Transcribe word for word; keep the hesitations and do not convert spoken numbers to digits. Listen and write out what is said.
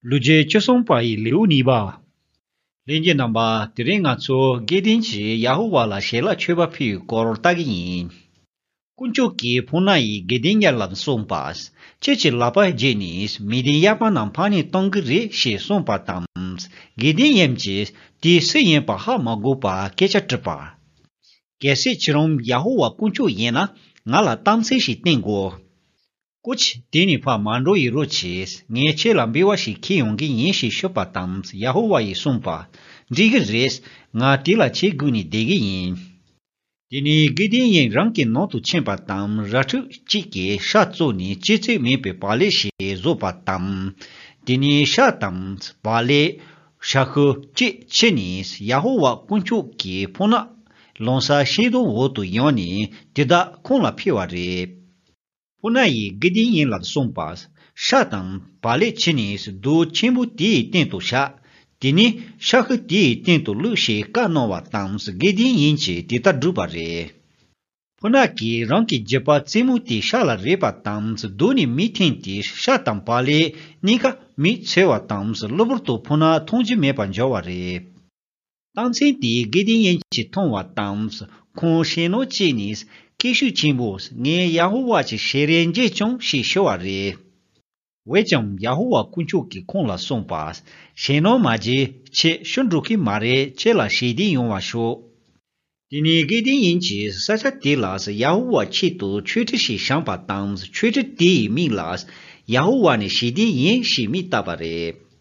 ལོ་རྒྱུས་བཅུ་གསུམ་པ་ཡི་ལེའུ་གཉིས་པ། ལྷན་རྒྱས་རྣམ་པ། དེ་རིང་ང་ཚོ་དགེ་ལྡན་གྱིས་ཡ་ཧོ་ཝཱ་ལ་ཞལ་ལག་མཆོད་པ་ཕུལ་བའི་སྐོར་ལྟ་གི་ཡིན། དཀོན་མཆོག་གིས་ཕོ་ཉ་ཡིས་དགེ་ལྡན་ཡིན་ལ་གསུངས་པ། ཁྱེད་ཀྱི་ལག་པ་བརྒྱུད་ནས་མི་དེ་གཡག་པ་རྣམས་ཕར་ནས་གཏོང་གི་རེད་ཞེས་གསུངས་པ་དང་། དགེ་ལྡན་ཡིན་གྱིས་དེ་སུ་ཡིན་པ་ཧ་མ་གོ་བར་སྐད་ཆ་དྲིས་པ། གལ་སྲིད་ཁྱེད་རང་ཡ་ཧོ་ཝཱ་དཀོན་མཆོག་ཡིན་ན་ང་ལ་རྟགས་མཚན་ཞིག་བསྟན་དགོས། སྐུ་མཁྱེན། དེ་ནས་ཕར་མ་འགྲོ་ཡི་རོགས་བྱས། ངས་ཁྱེད་ལ་འབུལ་བ་ཞིག་ཁྱེར་ཡོང་གི་ཡིན་ཞེས་ཞུས་པ་དང་། ཡ་ཧོ་ཝཱ་ཡིས་གསུངས་པ། འགྲིག་གི་རེད། ང་དེ་ལ་ཆེས་སྒུག་ནས་བསྡད་ཀྱི་ཡིན། དེ་ནས་དགེ་ལྡན་ཡིན་རང་གི་ནང་དུ་ཕྱིན་པ་དང་། ར་ཕྲུག་གཅིག་གིས་ཤ་བཙོས་ནས་ལྕི་ཚད་མེད་པའི་བག་ལེབ་ཞིག་བཟོས་པ་དང་། དེ་ནས་ཤ་དང་བག་ལེབ། ཤ་ཁུ་བཅས་ཁྱེར་ནས་ཡ་ཧོ་ཝཱ་དཀོན་མཆོག་གི་ཕོ་ཉ་ལོང་ས་ཤིང་སྡོང་འོག་ཏུ་ཡོང་ནས་དེ་དག་ཁོང་ལ་ཕུལ་བ་རེད། ཕོ་ཉ་ཡིས་དགེ་ལྡན་ཡིན་ལ་གསུངས་པ། ཤ་དང་བག་ལེབ་ཁྱེར་ནས་རྡོ་ཆེན་པོ་དེའི་སྟེང་དུ་བཞག་དེ་ནས་ཤ་ཁུ་དེའི་སྟེང་དུ་བླུགས་ཞེས་བཀའ་གནང་བ་དང་། དགེ་ལྡན་ཡིན་གྱིས་དེ་ལྟར་བསྒྲུབས་པ་རེད། ཕོ་ཉ་གིས་རང་གི་རྒྱུད་པ་རྩེད་མོ་དེའི་ཤ་ལ་རེག་པ་དང་། རྡོ་ནས་མེ་འཐེན་ཏེ་ཤ་དང་བག་ལེབ་གཉིས་ཀ་མེ་འཚོལ་བ་དང་། གློ་བུར་དུ་ཕོ་ཉ་མཐོང་རྒྱུ་མེད་པར་འགྱུར་བ་རེད། རྟགས་མཚན་དེས་དགེ་ལྡན་ཡིན་གྱིས་མཐོང་བ་དང་། ཁོང་ཞེད་སྣང་སྐྱེས་ནས། སྐད་ཤུགས་ཆེན་པོས། ངས་ཡ་ཧོ་ཝཱ་གྱི་ཞལ་རས་མཇལ་བྱུང་ཞེས་ཞུ་བ་རེད། འོན་ཀྱང་ཡ་ཧོ་ཝཱ་དཀོན་མཆོག་གིས་ཁོང་ལ་གསུངས་པ། ཞེད་སྣང་མ་བྱེད། ཁྱེད་ཤི་འགྲོ་གི་མ་རེད། ཁྱེད་ལ་ཞི་བདེ་ཡོང་བར་ཤོག་དེ་ནས་དགེ་ལྡན་ཡིན་གྱིས་ས་ཆ་དེ་ལ་ཡ་ཧོ་ཝཱ་ཆེད་དུ་མཆོད་ཁྲི་ཞིག་བཞེངས་པ་དང་། མཆོད་ཁྲི་དེའི་མིང་ལ་ཡ་ཧོ་ཝཱ་ནི་ཞི་བདེ་ཡིན་ཞེས་མིང་བཏགས་པ་རེད།